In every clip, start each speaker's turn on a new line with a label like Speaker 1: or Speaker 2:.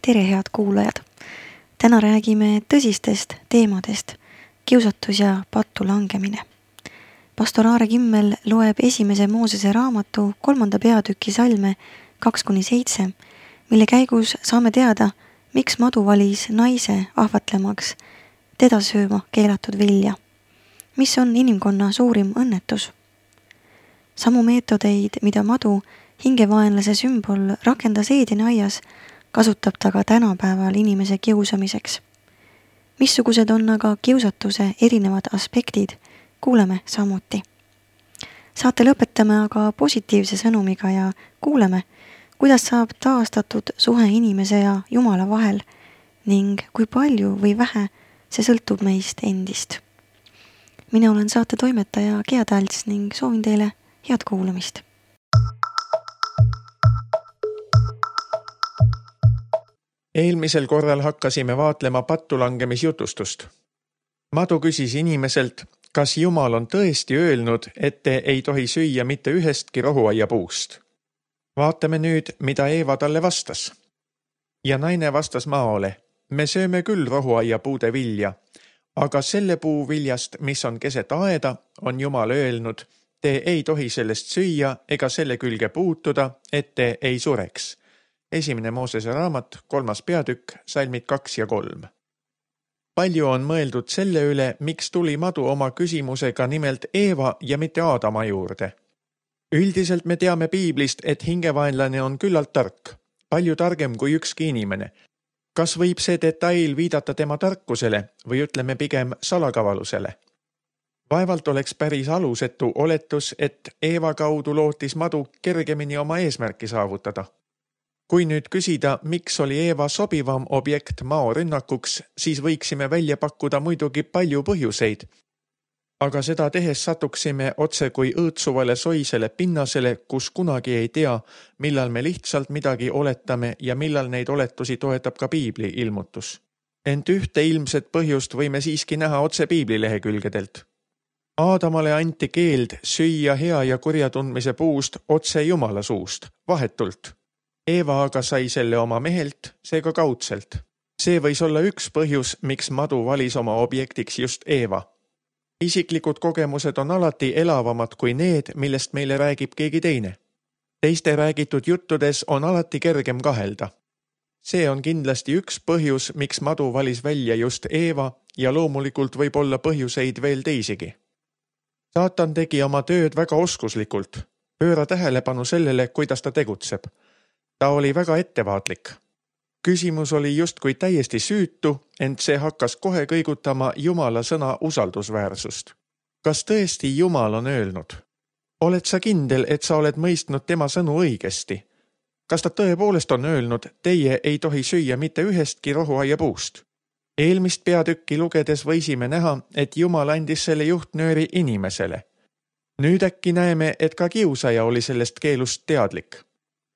Speaker 1: Tere, head kuulajad! Täna räägime tõsistest teemadest, kiusatus ja pattu langemine. Pastor Aare Kimmel loeb esimese Moosese raamatu 3. peatüki salme 2-7, mille käigus saame teada, miks madu valis naise ahvatlemaks teda sööma keelatud vilja. Mis on inimkonna suurim õnnetus? Samu meetodeid, mida madu, hingevaenlase sümbol, rakendas Eedeni aias, kasutab ta ka tänapäeval inimese kiusamiseks. Missugused on aga kiusatuse erinevad aspektid, kuuleme samuti. Saate lõpetame aga positiivse sõnumiga ja kuuleme, kuidas saab taastatud suhe inimese ja Jumala vahel ning kui palju või vähe see sõltub meist endist. Mina olen saate toimetaja Gea Talts ning soovin teile head kuulamist.
Speaker 2: Eelmisel korral hakkasime vaatlema pattulangemisjutustust. Madu küsis inimeselt, kas Jumal on tõesti öelnud, et te ei tohi süüa mitte ühestki rohuaiapuust. Vaatame nüüd, mida Eeva talle vastas. Ja naine vastas Maole, me sööme küll rohuaiapuude vilja, aga selle puu viljast, mis on keset aeda, on Jumal öelnud, te ei tohi sellest süüa ega selle külge puutuda, et te ei sureks. 1. Moosese raamat, 3. peatükk, salmid 2 ja 3. Palju on mõeldud selle üle, miks tuli madu oma küsimusega nimelt Eeva ja mitte Aadama juurde. Üldiselt me teame piiblist, et hingevaenlane on küllalt tark, palju targem kui ükski inimene. Kas võib see detail viidata tema tarkusele või ütleme pigem salakavalusele? Vaevalt oleks päris alusetu oletus, et Eeva kaudu lootis madu kergemini oma eesmärki saavutada. Kui nüüd küsida, miks oli Eeva sobivam objekt mao rünnakuks, siis võiksime välja pakkuda muidugi palju põhjuseid. Aga seda tehes satuksime otse kui õõtsuvale soisele pinnasele, kus kunagi ei tea, millal me lihtsalt midagi oletame ja millal neid oletusi toetab ka piibli ilmutus. Ent ühte ilmset põhjust võime siiski näha otse piibli lehekülgedelt. Aadamale anti keeld süüa hea ja kurja tundmise puust otse Jumala suust, vahetult. Eeva aga sai selle oma mehelt, seega kaudselt. See võis olla üks põhjus, miks madu valis oma objektiks just Eeva. Isiklikud kogemused on alati elavamad kui need, millest meile räägib keegi teine. Teiste räägitud juttudes on alati kergem kahelda. See on kindlasti üks põhjus, miks madu valis välja just Eeva ja loomulikult võib olla põhjuseid veel teisigi. Saatan tegi oma tööd väga oskuslikult. Pööra tähelepanu sellele, kuidas ta tegutseb. Ta oli väga ettevaatlik. Küsimus oli justkui täiesti süütu, ent see hakkas kohe kõigutama Jumala sõna usaldusväärsust. Kas tõesti Jumal on öelnud? Oled sa kindel, et sa oled mõistnud tema sõnu õigesti? Kas ta tõepoolest on öelnud, teie ei tohi süüa mitte ühestki rohuaiapuust? Eelmist peatükki lugedes võisime näha, et Jumal andis selle juhtnööri inimesele. Nüüd äkki näeme, et ka kiusaja oli sellest keelust teadlik.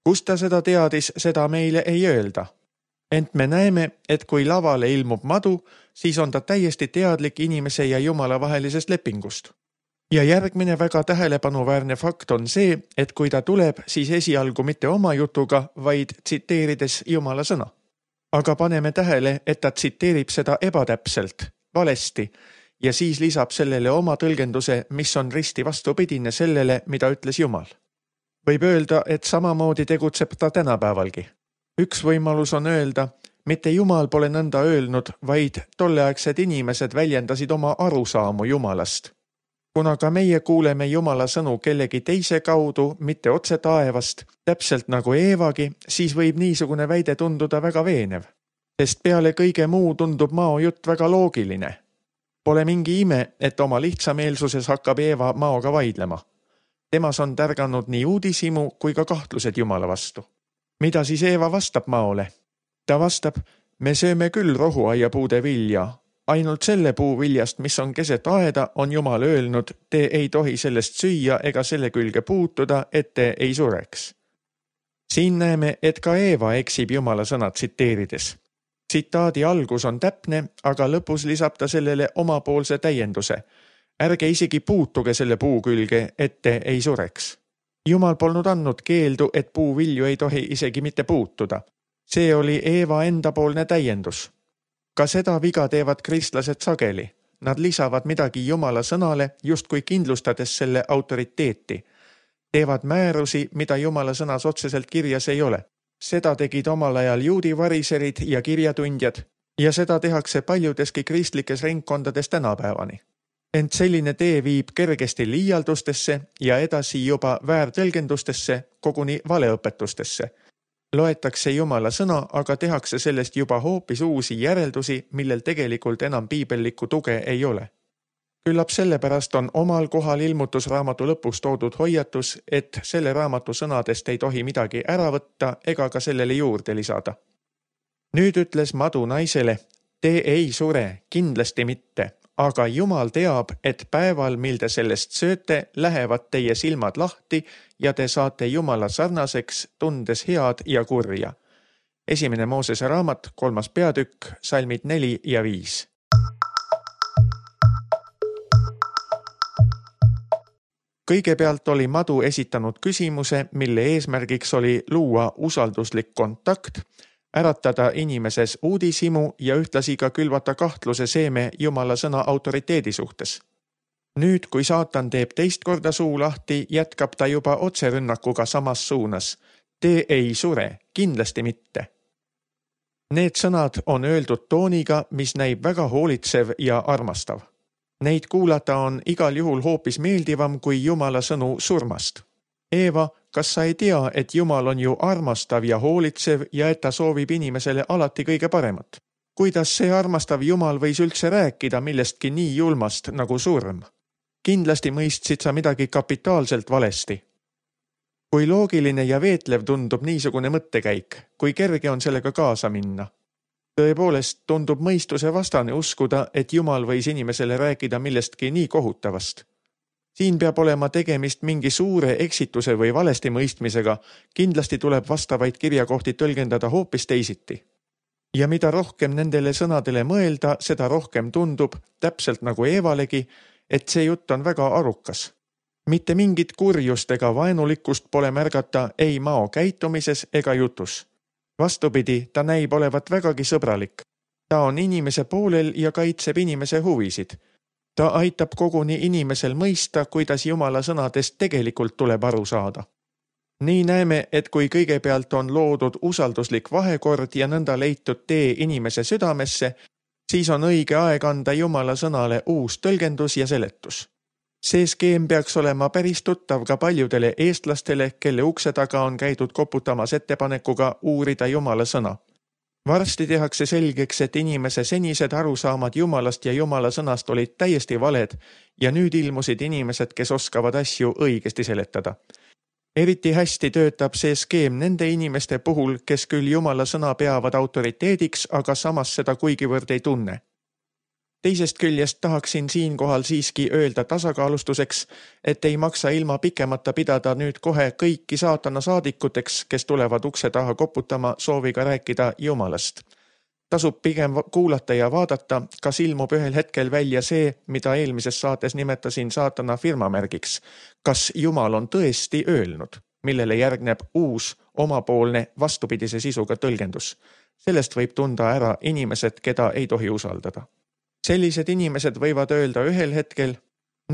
Speaker 2: Kust ta seda teadis, seda meile ei öelda. Ent me näeme, et kui lavale ilmub madu, siis on ta täiesti teadlik inimese ja Jumala vahelisest lepingust. Ja järgmine väga tähelepanuväärne fakt on see, et kui ta tuleb, siis esialgu mitte oma jutuga, vaid tsiteerides Jumala sõna. Aga paneme tähele, et ta tsiteerib seda ebatäpselt, valesti, ja siis lisab sellele oma tõlgenduse, mis on risti vastupidine sellele, mida ütles Jumal. Võib öelda, et samamoodi tegutseb ta tänapäevalgi. Üks võimalus on öelda, mitte Jumal pole nõnda öelnud, vaid tolleaegsed inimesed väljendasid oma arusaamu Jumalast. Kuna ka meie kuuleme Jumala sõnu kellegi teise kaudu, mitte otse taevast, täpselt nagu Eevagi, siis võib niisugune väide tunduda väga veenev. Sest peale kõige muu tundub mao jutt väga loogiline. Pole mingi ime, et oma lihtsameelsuses hakkab Eeva maoga vaidlema. Temas on tärganud nii uudishimu kui ka kahtlused Jumala vastu. Mida siis Eeva vastab maole? Ta vastab, me sööme küll rohuaiapuude vilja. Ainult selle puu viljast, mis on keset aeda, on Jumal öelnud, te ei tohi sellest süüa ega selle külge puutuda, et te ei sureks. Siin näeme, et ka Eeva eksib Jumala sõna tsiteerides. Tsitaadi algus on täpne, aga lõpus lisab ta sellele omapoolse täienduse. Ärge isegi puutuge selle puu külge, et te ei sureks. Jumal polnud andnud keeldu, et puuvilju ei tohi isegi mitte puutuda. See oli Eeva endapoolne täiendus. Ka seda viga teevad kristlased sageli. Nad lisavad midagi Jumala sõnale, justkui kindlustades selle autoriteeti. Teevad määrusi, mida Jumala sõnas otseselt kirjas ei ole. Seda tegid omal ajal juudi variserid ja kirjatundjad ja seda tehakse paljudeski kristlikes ringkondades tänapäevani. Ent selline tee viib kergesti liialdustesse ja edasi juba väärtõlgendustesse, koguni valeõpetustesse. Loetakse Jumala sõna, aga tehakse sellest juba hoopis uusi järeldusi, millel tegelikult enam piibellikku tuge ei ole. Küllap sellepärast on omal kohal ilmutusraamatu lõpus toodud hoiatus, et selle raamatu sõnadest ei tohi midagi ära võtta ega ka sellele juurde lisada. Nüüd ütles madu naisele, te ei sure, kindlasti mitte, aga Jumal teab, et päeval, mil te sellest sööte, lähevad teie silmad lahti ja te saate Jumala sarnaseks, tundes head ja kurja. 1. Moosese raamat, 3. peatükk, salmid 4 ja 5. Kõigepealt oli madu esitanud küsimuse, mille eesmärgiks oli luua usalduslik kontakt, äratada inimeses uudishimu ja ühtlasi ka külvata kahtluse seeme Jumala sõna autoriteedi suhtes. Nüüd, kui saatan teeb teist korda suu lahti, jätkab ta juba otserünnakuga samas suunas. Te ei sure, kindlasti mitte. Need sõnad on öeldud tooniga, mis näib väga hoolitsev ja armastav. Neid kuulata on igal juhul hoopis meeldivam kui Jumala sõnu surmast. Eeva, kas sa ei tea, et Jumal on ju armastav ja hoolitsev ja et ta soovib inimesele alati kõige paremat? Kuidas see armastav Jumal võis üldse rääkida millestki nii julmast nagu surm? Kindlasti mõistsid sa midagi kapitaalselt valesti. Kui loogiline ja veetlev tundub niisugune mõttekäik, kui kerge on sellega kaasa minna? Tõepoolest tundub mõistuse vastane uskuda, et Jumal võis inimesele rääkida millestki nii kohutavast. Siin peab olema tegemist mingi suure eksituse või valesti mõistmisega, kindlasti tuleb vastavaid kirjakohti tõlgendada hoopis teisiti. Ja mida rohkem nendele sõnadele mõelda, seda rohkem tundub, täpselt nagu Eevalegi, et see jutt on väga arukas. Mitte mingit kurjust ega vaenulikkust pole märgata ei mao käitumises ega jutus. Vastupidi, ta näib olevat vägagi sõbralik. Ta on inimese poolel ja kaitseb inimese huvisid. Ta aitab koguni inimesel mõista, kuidas Jumala sõnadest tegelikult tuleb aru saada. Nii näeme, et kui kõigepealt on loodud usalduslik vahekord ja nõnda leitud tee inimese südamesse, siis on õige aeg anda Jumala sõnale uus tõlgendus ja seletus. See skeem peaks olema päris tuttav ka paljudele eestlastele, kelle ukse taga on käidud koputamas ettepanekuga uurida Jumala sõna. Varsti tehakse selgeks, et inimese senised arusaamad Jumalast ja Jumala sõnast olid täiesti valed ja nüüd ilmusid inimesed, kes oskavad asju õigesti seletada. Eriti hästi töötab see skeem nende inimeste puhul, kes küll Jumala sõna peavad autoriteediks, aga samas seda kuigivõrd ei tunne. Teisest küljest tahaksin siinkohal siiski öelda tasakaalustuseks, et ei maksa ilma pikemata pidada nüüd kohe kõiki saatana saadikuteks, kes tulevad ukse taha koputama sooviga rääkida Jumalast. Tasub pigem kuulata ja vaadata, kas ilmub ühel hetkel välja see, mida eelmises saates nimetasin saatana firmamärgiks. Kas Jumal on tõesti öelnud, millele järgneb uus omapoolne vastupidise sisuga tõlgendus. Sellest võib tunda ära inimesed, keda ei tohi usaldada. Sellised inimesed võivad öelda ühel hetkel,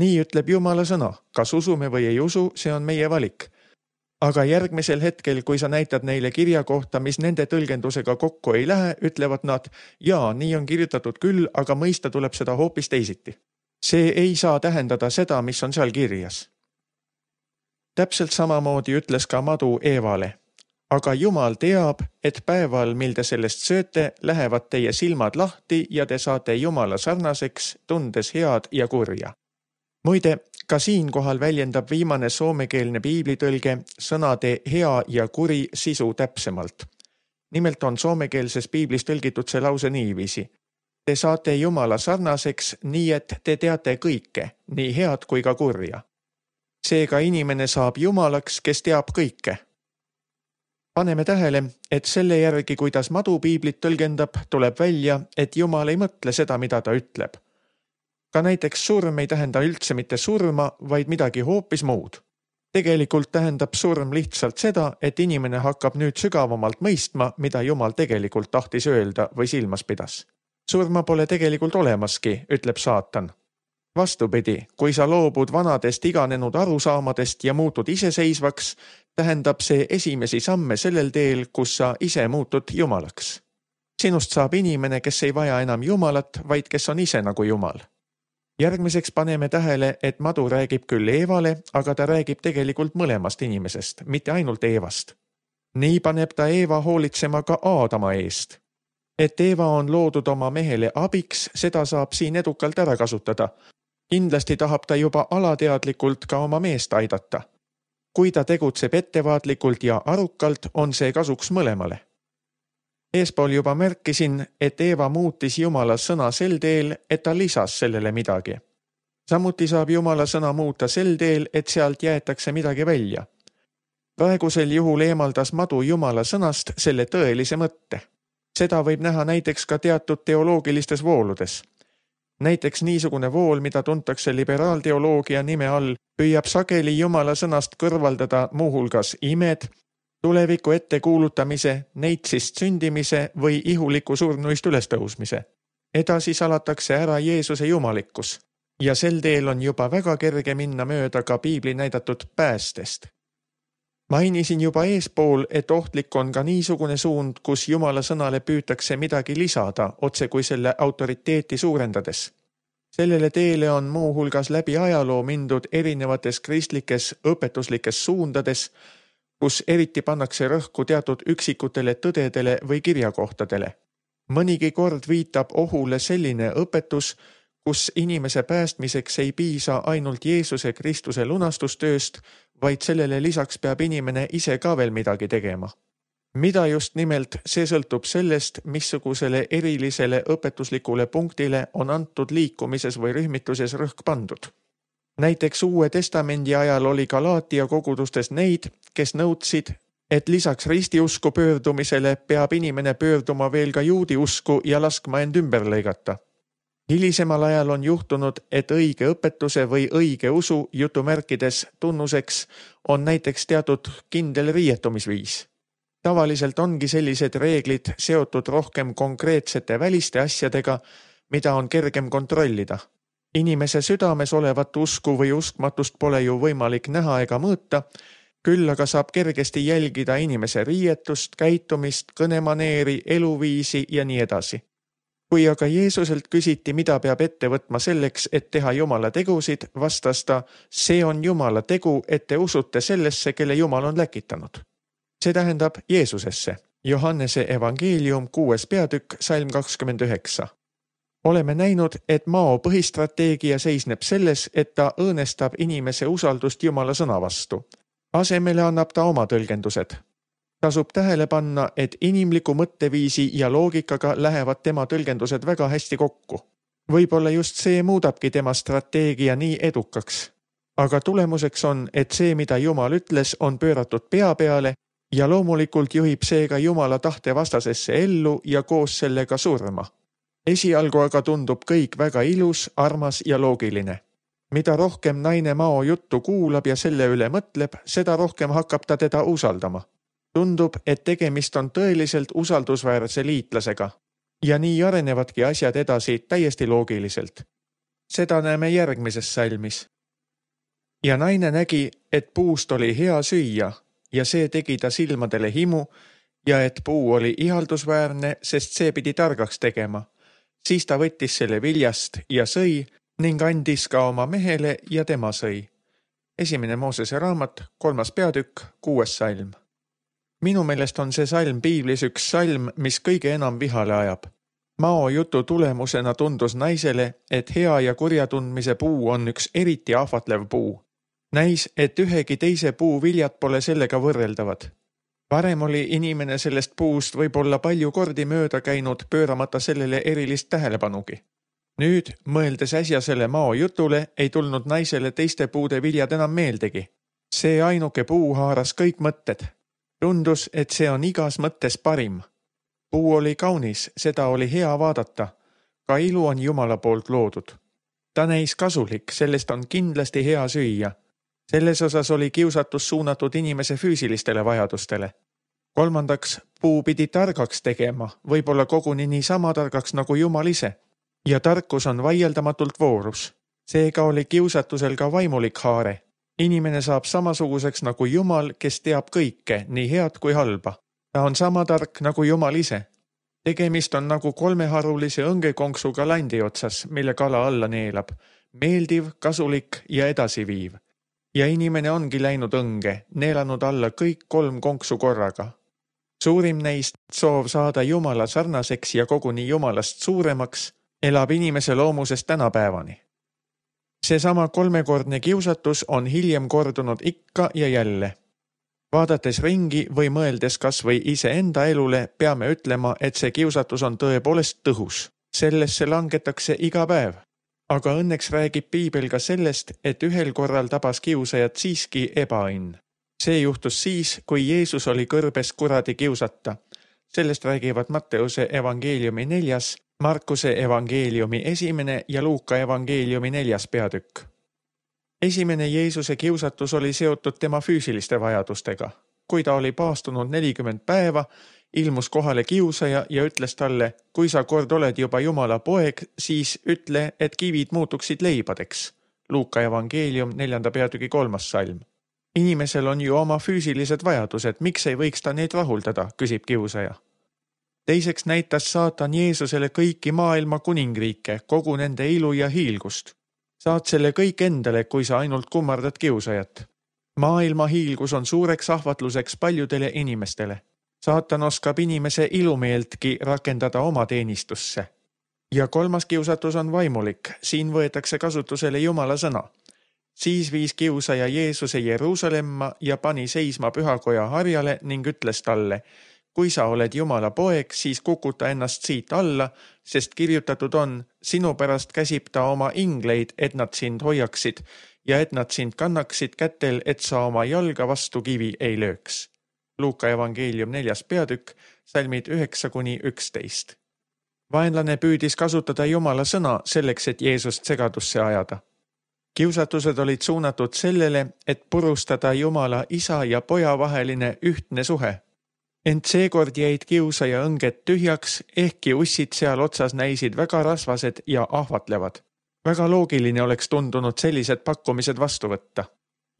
Speaker 2: nii ütleb Jumala sõna, kas usume või ei usu, see on meie valik. Aga järgmisel hetkel, kui sa näitad neile kirja kohta, mis nende tõlgendusega kokku ei lähe, ütlevad nad, jaa, nii on kirjutatud küll, aga mõista tuleb seda hoopis teisiti. See ei saa tähendada seda, mis on seal kirjas. Täpselt samamoodi ütles ka madu Eevale. Aga Jumal teab, et päeval, mil te sellest sööte, lähevad teie silmad lahti ja te saate Jumala sarnaseks, tundes head ja kurja. Muide, ka siinkohal väljendab viimane soomekeelne piiblitõlge sõnade hea ja kuri sisu täpsemalt. Nimelt on soomekeelses piiblis tõlgitud see lause niiviisi. Te saate Jumala sarnaseks nii, et te teate kõike, nii head kui ka kurja. Seega inimene saab Jumalaks, kes teab kõike. Paneme tähele, et selle järgi, kuidas madu piiblit tõlgendab, tuleb välja, et Jumal ei mõtle seda, mida ta ütleb. Ka näiteks surm ei tähenda üldse mitte surma, vaid midagi hoopis muud. Tegelikult tähendab surm lihtsalt seda, et inimene hakkab nüüd sügavamalt mõistma, mida Jumal tegelikult tahtis öelda või silmas pidas. Surma pole tegelikult olemaski, ütleb saatan. Vastupidi, kui sa loobud vanadest iganenud arusaamadest ja muutud iseseisvaks, tähendab see esimesi samme sellel teel, kus sa ise muutud Jumalaks. Sinust saab inimene, kes ei vaja enam Jumalat, vaid kes on ise nagu Jumal. Järgmiseks paneme tähele, et madu räägib küll Eevale, aga ta räägib tegelikult mõlemast inimesest, mitte ainult Eevast. Nii paneb ta Eeva hoolitsema ka Aadama eest. Et Eeva on loodud oma mehele abiks, seda saab siin edukalt ära kasutada. Kindlasti tahab ta juba alateadlikult ka oma meest aidata. Kui ta tegutseb ettevaatlikult ja arukalt, on see kasuks mõlemale. Eespool juba märkisin, et Eeva muutis Jumala sõna sel teel, et ta lisas sellele midagi. Samuti saab Jumala sõna muuta sel teel, et sealt jäetakse midagi välja. Praegusel juhul eemaldas madu Jumala sõnast selle tõelise mõtte. Seda võib näha näiteks ka teatud teoloogilistes vooludes. Näiteks niisugune vool, mida tuntakse liberaalteoloogia nime all, püüab sageli Jumala sõnast kõrvaldada muuhulgas imed, tuleviku ette kuulutamise, neitsist sündimise või ihuliku surnuist ülestõusmise. Edasi salatakse ära Jeesuse jumalikkus ja sel teel on juba väga kerge minna mööda ka piibli näidatud päästest. Mainisin juba eespool, et ohtlik on ka niisugune suund, kus Jumala sõnale püütakse midagi lisada, otse kui selle autoriteeti suurendades. Sellele teele on muuhulgas läbi ajaloo mindud erinevates kristlikes õpetuslikes suundades, kus eriti pannakse rõhku teatud üksikutele tõdedele või kirjakohtadele. Mõnigi kord viitab ohule selline õpetus, kus inimese päästmiseks ei piisa ainult Jeesuse Kristuse lunastustööst, vaid sellele lisaks peab inimene ise ka veel midagi tegema. Mida just nimelt, see sõltub sellest, missugusele erilisele õpetuslikule punktile on antud liikumises või rühmituses rõhk pandud. Näiteks Uue Testamendi ajal oli Galaatia kogudustes neid, kes nõudsid, et lisaks ristiusku pöördumisele peab inimene pöörduma veel ka juudi usku ja laskma end ümber lõigata. Hilisemal ajal on juhtunud, et õige õpetuse või õige usu jutumärkides tunnuseks on näiteks teatud kindel riietumisviis. Tavaliselt ongi sellised reeglid seotud rohkem konkreetsete väliste asjadega, mida on kergem kontrollida. Inimese südames olevat usku või uskmatust pole ju võimalik näha ega mõõta, küll aga saab kergesti jälgida inimese riietust, käitumist, kõnemaneeri, eluviisi ja nii edasi. Kui aga Jeesuselt küsiti, mida peab ette võtma selleks, et teha Jumala tegusid, vastas ta, see on Jumala tegu, et te usute sellesse, kelle Jumal on läkitanud. See tähendab Jeesusesse. Johannese evangeelium 6. peatükk, salm 29. Oleme näinud, et Mao põhistrateegia seisneb selles, et ta õõnestab inimese usaldust Jumala sõna vastu. Asemele annab ta oma tõlgendused. Tasub tähele panna, et inimliku mõtteviisi ja loogikaga lähevad tema tõlgendused väga hästi kokku. Võib-olla just see muudabki tema strateegia nii edukaks. Aga tulemuseks on, et see, mida Jumal ütles, on pööratud pea peale ja loomulikult juhib seega Jumala tahte vastasesse ellu ja koos sellega surma. Esialgu aga tundub kõik väga ilus, armas ja loogiline. Mida rohkem naine Mao juttu kuulab ja selle üle mõtleb, seda rohkem hakkab ta teda usaldama. Tundub, et tegemist on tõeliselt usaldusväärse liitlasega. Ja nii arenevadki asjad edasi täiesti loogiliselt. Seda näeme järgmises salmis. Ja naine nägi, et puust oli hea süüa ja see tegi ta silmadele himu ja et puu oli ihaldusväärne, sest see pidi targaks tegema. Siis ta võttis selle viljast ja sõi ning andis ka oma mehele ja tema sõi. 1. Moosese raamat, 3. peatükk, 6. salm. Minu meelest on see salm piiblis üks salm, mis kõige enam vihale ajab. Mao jutu tulemusena tundus naisele, et hea ja kurja tundmise puu on üks eriti ahvatlev puu. Näis, et ühegi teise puu viljad pole sellega võrreldavad. Varem oli inimene sellest puust võib-olla palju kordi mööda käinud, pööramata sellele erilist tähelepanugi. Nüüd, mõeldes äsjasele Mao jutule, ei tulnud naisele teiste puude viljad enam meeldegi. See ainuke puu haaras kõik mõtted. Tundus, et see on igas mõttes parim. Puu oli kaunis, seda oli hea vaadata. Ka ilu on Jumala poolt loodud. Ta näis kasulik, sellest on kindlasti hea süüa. Selles osas oli kiusatus suunatud inimese füüsilistele vajadustele. Kolmandaks, puu pidi targaks tegema, võib-olla koguni niisama targaks nagu Jumal ise. Ja tarkus on vaieldamatult voorus. Seega oli kiusatusel ka vaimulik haare. Inimene saab samasuguseks nagu Jumal, kes teab kõike, nii head kui halba. Ta on sama tark nagu Jumal ise. Tegemist on nagu kolmeharulise õngekonksuga landi otsas, mille kala alla neelab. Meeldiv, kasulik ja edasiviiv. Ja inimene ongi läinud õnge, neelanud alla kõik 3 konksu korraga. Suurim neist, soov saada Jumala sarnaseks ja koguni Jumalast suuremaks, elab inimese loomusest tänapäevani. Seesama 3-kordne kiusatus on hiljem kordunud ikka ja jälle. Vaadates ringi või mõeldes kas või iseenda elule, peame ütlema, et see kiusatus on tõepoolest tõhus. Sellesse langetakse iga päev. Aga õnneks räägib Piibel ka sellest, et ühel korral tabas kiusajat siiski ebaõnn. See juhtus siis, kui Jeesus oli kõrbes kuradi kiusata. Sellest räägivad Matteuse evangeeliumi 4, Markuse evangeeliumi 1 ja Luuka evangeeliumi 4 peatükk. Esimene Jeesuse kiusatus oli seotud tema füüsiliste vajadustega. Kui ta oli paastunud 40 päeva, ilmus kohale kiusaja ja ütles talle, kui sa kord oled juba Jumala poeg, siis ütle, et kivid muutuksid leibadeks. Luuka evangeelium 4 peatüki 3 salm. Inimesel on ju oma füüsilised vajadused, miks ei võiks ta neid rahuldada, küsib kiusaja. Teiseks näitas saatan Jeesusele kõiki maailma kuningriike, kogu nende ilu ja hiilgust. Saad selle kõik endale, kui sa ainult kummardad kiusajat. Maailma hiilgus on suureks ahvatluseks paljudele inimestele. Saatan oskab inimese ilumeeltki rakendada oma teenistusse. Ja 3. kiusatus on vaimulik, siin võetakse kasutusele Jumala sõna. Siis viis kiusaja Jeesuse Jeruusalemma ja pani seisma pühakoja harjale ning ütles talle, kui sa oled Jumala poeg, siis kukuta ennast siit alla, sest kirjutatud on, sinu pärast käsib ta oma ingleid, et nad sind hoiaksid ja et nad sind kannaksid kätel, et sa oma jalga vastu kivi ei lööks. Luuka evangeelium 4 peatükk, salmid 9-11. Vaenlane püüdis kasutada Jumala sõna selleks, et Jeesust segadusse ajada. Kiusatused olid suunatud sellele, et purustada Jumala isa ja poja vaheline ühtne suhe. Ent seekord jäid kiusaja õnged tühjaks, ehkki ussid seal otsas näisid väga rasvased ja ahvatlevad. Väga loogiline oleks tundunud sellised pakkumised vastu võtta.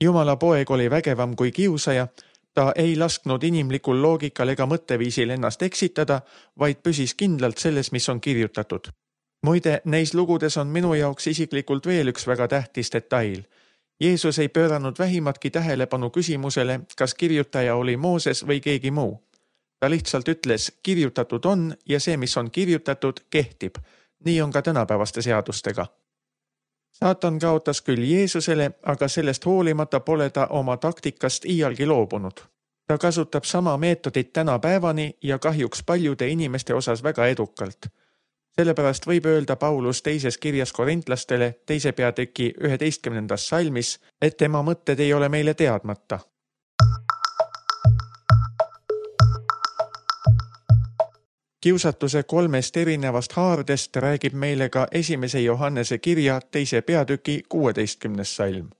Speaker 2: Jumala poeg oli vägevam kui kiusaja, ta ei lasknud inimlikul loogikal ega mõtteviisil ennast eksitada, vaid püsis kindlalt selles, mis on kirjutatud. Muide, neis lugudes on minu jaoks isiklikult veel üks väga tähtis detail. Jeesus ei pööranud vähimatki tähelepanu küsimusele, kas kirjutaja oli Mooses või keegi muu. Ta lihtsalt ütles, kirjutatud on ja see, mis on kirjutatud, kehtib. Nii on ka tänapäevaste seadustega. Saatan kaotas küll Jeesusele, aga sellest hoolimata pole ta oma taktikast iialgi loobunud. Ta kasutab sama meetodit tänapäevani ja kahjuks paljude inimeste osas väga edukalt. Sellepärast võib öelda Paulus 2. kirjas korintlastele 2. peatüki 11. salmis, et tema mõtted ei ole meile teadmata. Kiusatuse 3 erinevast haardest räägib meile ka 1. Johannese kirja 2. peatüki 16. salm.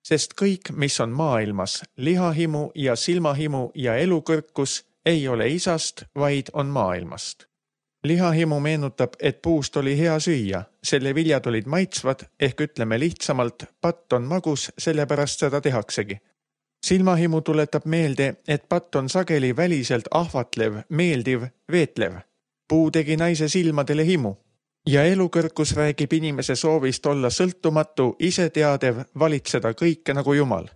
Speaker 2: Sest kõik, mis on maailmas, lihahimu ja silmahimu ja elukõrkus, ei ole isast, vaid on maailmast. Lihahimu meenutab, et puust oli hea süüa, selle viljad olid maitsvad, ehk ütleme lihtsamalt, patt on magus, sellepärast seda tehaksegi. Silmahimu tuletab meelde, et patt on sageli väliselt ahvatlev, meeldiv, veetlev. Puu tegi naise silmadele himu. Ja elukõrkus räägib inimese soovist olla sõltumatu, iseteadev, valitseda kõike nagu Jumal.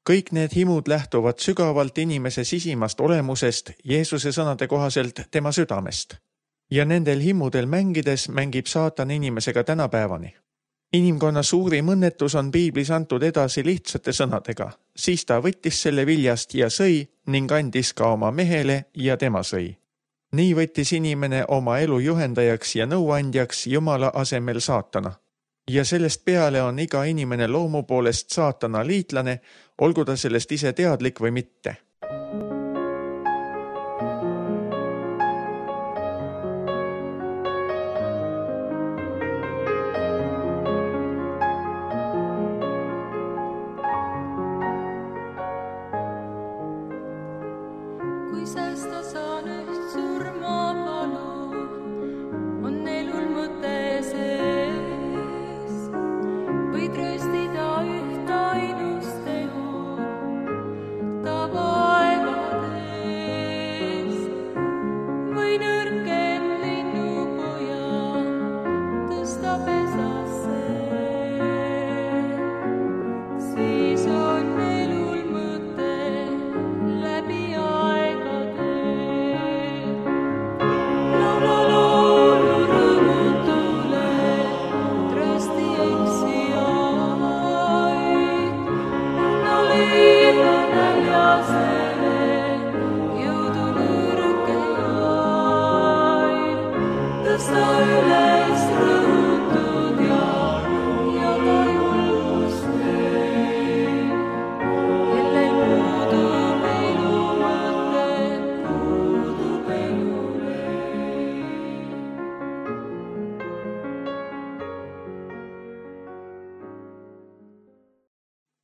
Speaker 2: Kõik need himud lähtuvad sügavalt inimese sisimast olemusest, Jeesuse sõnade kohaselt tema südamest. Ja nendel himudel mängides mängib saatan inimesega tänapäevani. Inimkonna suurim õnnetus on Piiblis antud edasi lihtsate sõnadega. Siis ta võttis selle viljast ja sõi ning andis ka oma mehele ja tema sõi. Nii võttis inimene oma elu juhendajaks ja nõuandjaks Jumala asemel saatana. Ja sellest peale on iga inimene loomu poolest saatana liitlane, olgu ta sellest ise teadlik või mitte.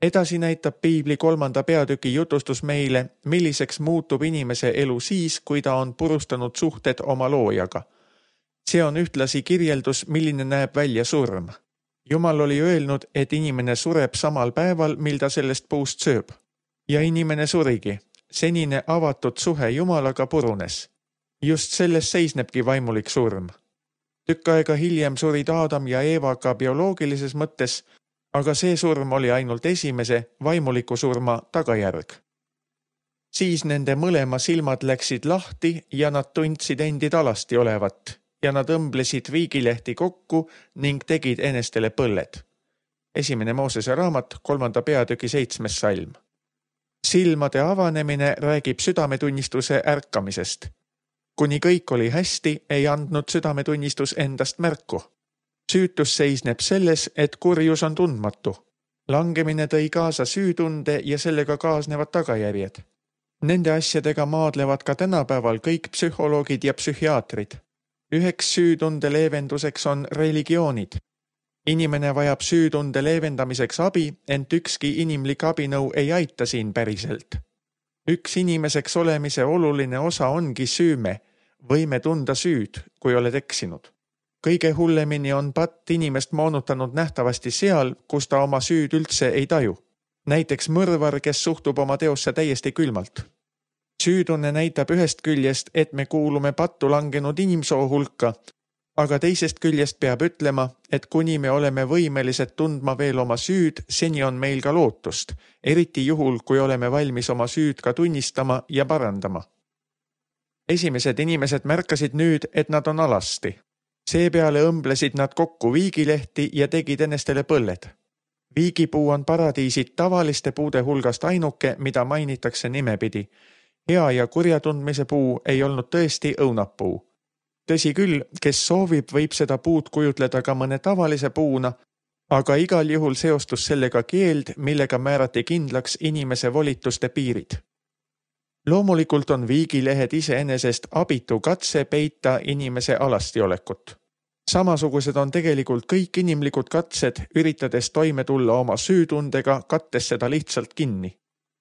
Speaker 2: Edasi näitab Piibli 3. peatüki jutustus meile, milliseks muutub inimese elu siis, kui ta on purustanud suhted oma loojaga. See on ühtlasi kirjeldus, milline näeb välja surm. Jumal oli öelnud, et inimene sureb samal päeval, mil ta sellest puust sööb. Ja inimene surigi. Senine avatud suhe Jumalaga purunes. Just selles seisnebki vaimulik surm. Tükk aega hiljem surid Aadam ja Eeva ka bioloogilises mõttes, aga see surm oli ainult esimese vaimuliku surma tagajärg. Siis nende mõlema silmad läksid lahti ja nad tundsid endid alasti olevat ja nad õmblesid viigilehti kokku ning tegid enestele põlled. 1. Moosese raamat, 3. peatüki 7. salm. Silmade avanemine räägib südametunnistuse ärkamisest. Kuni kõik oli hästi, ei andnud südametunnistus endast märku. Süütus seisneb selles, et kurjus on tundmatu. Langemine tõi kaasa süütunde ja sellega kaasnevad tagajärjed. Nende asjadega maadlevad ka tänapäeval kõik psühholoogid ja psühhiaatrid. Üheks süütunde leevenduseks on religioonid. Inimene vajab süütunde leevendamiseks abi, ent ükski inimlik abinõu ei aita siin päriselt. Üks inimeseks olemise oluline osa ongi süüme, võime tunda süüd, kui oled eksinud. Kõige hullemini on patt inimest moonutanud nähtavasti seal, kus ta oma süüd üldse ei taju. Näiteks mõrvar, kes suhtub oma teosse täiesti külmalt. Süütunne näitab ühest küljest, et me kuulume pattu langenud inimsoo hulka, aga teisest küljest peab ütlema, et kuni me oleme võimelised tundma veel oma süüd, seni on meil ka lootust, eriti juhul, kui oleme valmis oma süüd ka tunnistama ja parandama. Esimesed inimesed märkasid nüüd, et nad on alasti. Seepeale õmblesid nad kokku viigilehti ja tegid enestele põlled. Viigipuu on paradiisid tavaliste puude hulgast ainuke, mida mainitakse nimepidi. Hea ja kurja tundmise puu ei olnud tõesti õunapuu. Tõsi küll, kes soovib, võib seda puud kujutleda ka mõne tavalise puuna, aga igal juhul seostus sellega keeld, millega määrati kindlaks inimese volituste piirid. Loomulikult on viigilehed iseenesest abitu katse peita inimese alastiolekut. Samasugused on tegelikult kõik inimlikud katsed, üritades toime tulla oma süütundega, kattes seda lihtsalt kinni.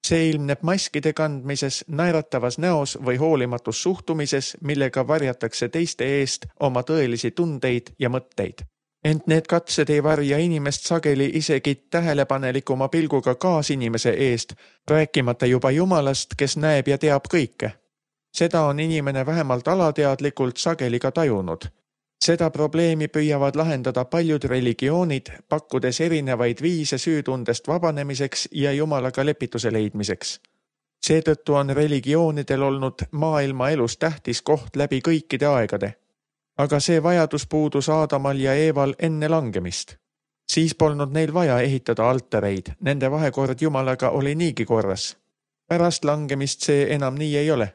Speaker 2: See ilmneb maskide kandmises, naeratavas näos või hoolimatus suhtumises, millega varjatakse teiste eest oma tõelisi tundeid ja mõtteid. Ent need katsed ei varja inimest sageli isegi tähelepanelikuma pilguga kaasinimese eest, rääkimata juba Jumalast, kes näeb ja teab kõike. Seda on inimene vähemalt alateadlikult sageli ka tajunud. Seda probleemi püüavad lahendada paljud religioonid, pakkudes erinevaid viise süütundest vabanemiseks ja Jumalaga lepituse leidmiseks. Seetõttu on religioonidel olnud maailma elus tähtis koht läbi kõikide aegade. Aga see vajadus puudus Aadamal ja Eeval enne langemist. Siis polnud neil vaja ehitada altareid, nende vahekord Jumalaga oli niigi korras. Pärast langemist see enam nii ei ole.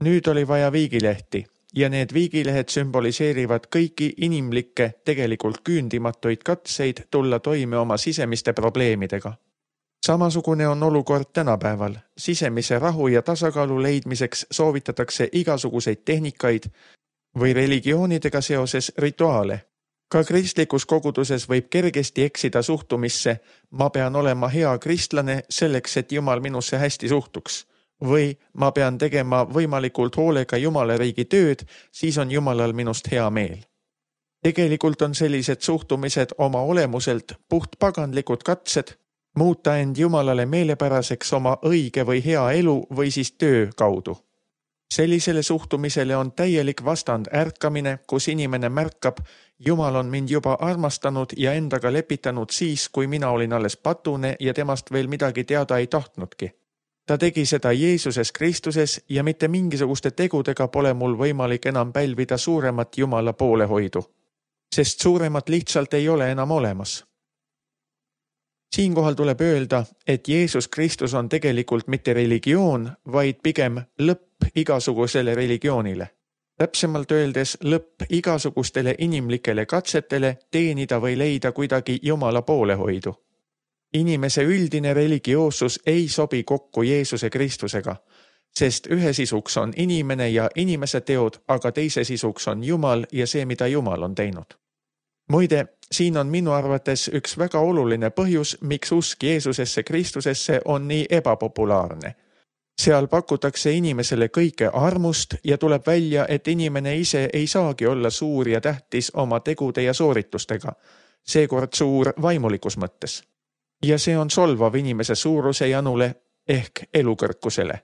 Speaker 2: Nüüd oli vaja viigilehti ja need viigilehed sümboliseerivad kõiki inimlikke, tegelikult küündimatuid katseid tulla toime oma sisemiste probleemidega. Samasugune on olukord tänapäeval. Sisemise rahu ja tasakaalu leidmiseks soovitatakse igasuguseid tehnikaid või religioonidega seoses rituaale. Ka kristlikus koguduses võib kergesti eksida suhtumisse, ma pean olema hea kristlane selleks, et Jumal minusse hästi suhtuks. Või ma pean tegema võimalikult hoolega Jumala riigi tööd, siis on Jumalal minust hea meel. Tegelikult on sellised suhtumised oma olemuselt puhtpagandlikud katsed, muuta end Jumalale meelepäraseks oma õige või hea elu või siis töö kaudu. Sellisele suhtumisele on täielik vastand ärkamine, kus inimene märkab, Jumal on mind juba armastanud ja endaga lepitanud siis, kui mina olin alles patune ja temast veel midagi teada ei tahtnudki. Ta tegi seda Jeesuses Kristuses ja mitte mingisuguste tegudega pole mul võimalik enam pälvida suuremat Jumala poolehoidu, sest suuremat lihtsalt ei ole enam olemas. Siinkohal tuleb öelda, et Jeesus Kristus on tegelikult mitte religioon, vaid pigem lõpp igasugusele religioonile. Täpsemalt öeldes lõpp igasugustele inimlikele katsetele teenida või leida kuidagi Jumala poolehoidu. Inimese üldine religioossus ei sobi kokku Jeesuse Kristusega, sest ühe sisuks on inimene ja inimese teod, aga teise sisuks on Jumal ja see, mida Jumal on teinud. Muide, Siin on minu arvates üks väga oluline põhjus, miks usk Jeesusesse Kristusesse on nii ebapopulaarne. Seal pakutakse inimesele kõike armust ja tuleb välja, et inimene ise ei saagi olla suur ja tähtis oma tegude ja sooritustega, seekord suur vaimulikus mõttes. Ja see on solvav inimese suuruse janule ehk elukõrkusele.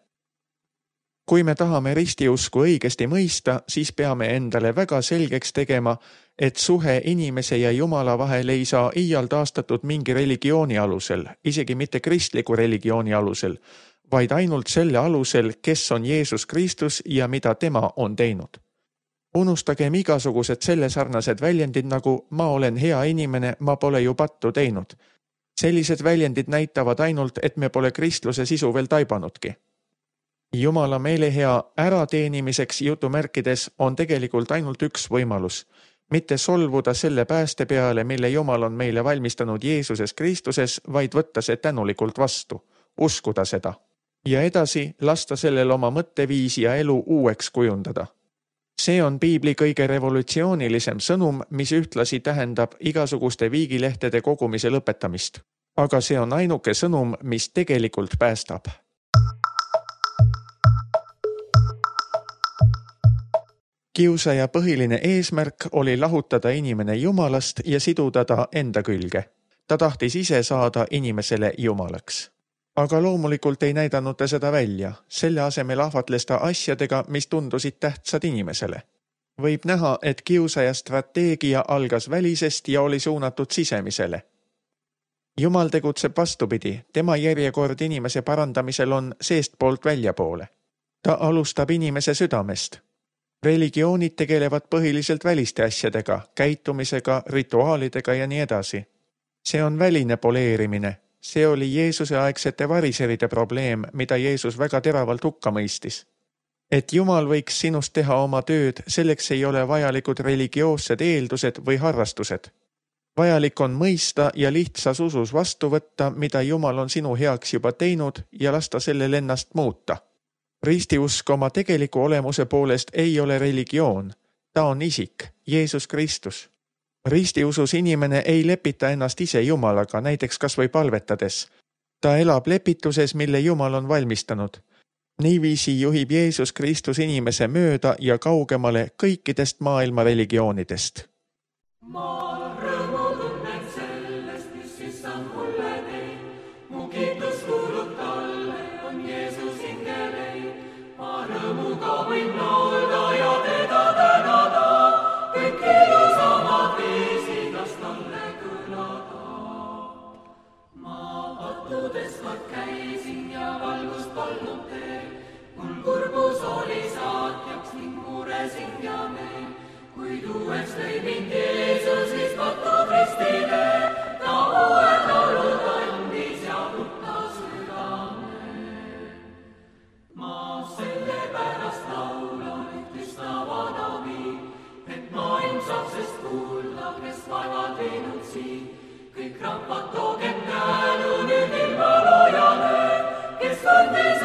Speaker 2: Kui me tahame ristiusku õigesti mõista, siis peame endale väga selgeks tegema, et suhe inimese ja Jumala vahel ei saa iial taastatud mingi religiooni alusel, isegi mitte kristliku religiooni alusel, vaid ainult selle alusel, kes on Jeesus Kristus ja mida tema on teinud. Unustagem igasugused selle sarnased väljendid nagu ma olen hea inimene, ma pole ju pattu teinud. Sellised väljendid näitavad ainult, et me pole kristluse sisu veel taibanudki. Jumala meelehea ärateenimiseks jutumärkides on tegelikult ainult üks võimalus, mitte solvuda selle pääste peale, mille Jumal on meile valmistanud Jeesuses Kristuses, vaid võtta see tänulikult vastu, uskuda seda. Ja edasi lasta sellel oma mõtteviisi ja elu uueks kujundada. See on piibli kõige revolutsioonilisem sõnum, mis ühtlasi tähendab igasuguste viigilehtede kogumise lõpetamist. Aga see on ainuke sõnum, mis tegelikult päästab. Kiusaja põhiline eesmärk oli lahutada inimene Jumalast ja siduda ta enda külge. Ta tahtis ise saada inimesele Jumalaks. Aga loomulikult ei näidanud ta seda välja. Selle asemel ahvatles ta asjadega, mis tundusid tähtsad inimesele. Võib näha, et kiusaja strateegia algas välisest ja oli suunatud sisemisele. Jumal tegutseb vastupidi. Tema järjekord inimese parandamisel on seestpoolt väljapoole. Ta alustab inimese südamest. Religioonid tegelevad põhiliselt väliste asjadega, käitumisega, rituaalidega ja nii edasi. See on väline poleerimine. See oli Jeesuse aegsete variseride probleem, mida Jeesus väga teravalt hukka mõistis. Et Jumal võiks sinust teha oma tööd, selleks ei ole vajalikud religioossed eeldused või harrastused. Vajalik on mõista ja lihtsas usus vastu võtta, mida Jumal on sinu heaks juba teinud ja lasta sellel ennast muuta. Ristiusk oma tegeliku olemuse poolest ei ole religioon. Ta on isik, Jeesus Kristus. Ristiusus inimene ei lepita ennast ise Jumalaga, näiteks kas või palvetades. Ta elab lepituses, mille Jumal on valmistanud. Niiviisi juhib Jeesus Kristus inimese mööda ja kaugemale kõikidest maailma religioonidest.
Speaker 3: Ma rõõmu tunnen sellest, mis issand mulle teeb. Mu kiitus kuulub talle, on Jeesus hingele. Ma rõõmuga võin laulda ja teda tänada. Kõik ilusamad viisidas talle kõlada. Ma pattudes kord käisin ja valgust polnud teel. Mul kurbus oli saatjaks ning muresin ja meel. Kuid uueks lõi mind Jeesus, mis patud ristile, ta uue laulud andis ja mutta südame. Ma sellepärast laulan, et üstavad abi, et maailm saab sest kuulda, kes vaevad viinud siin. Kõik rahvad toogem tänu nüüd ilma loojale, kes andis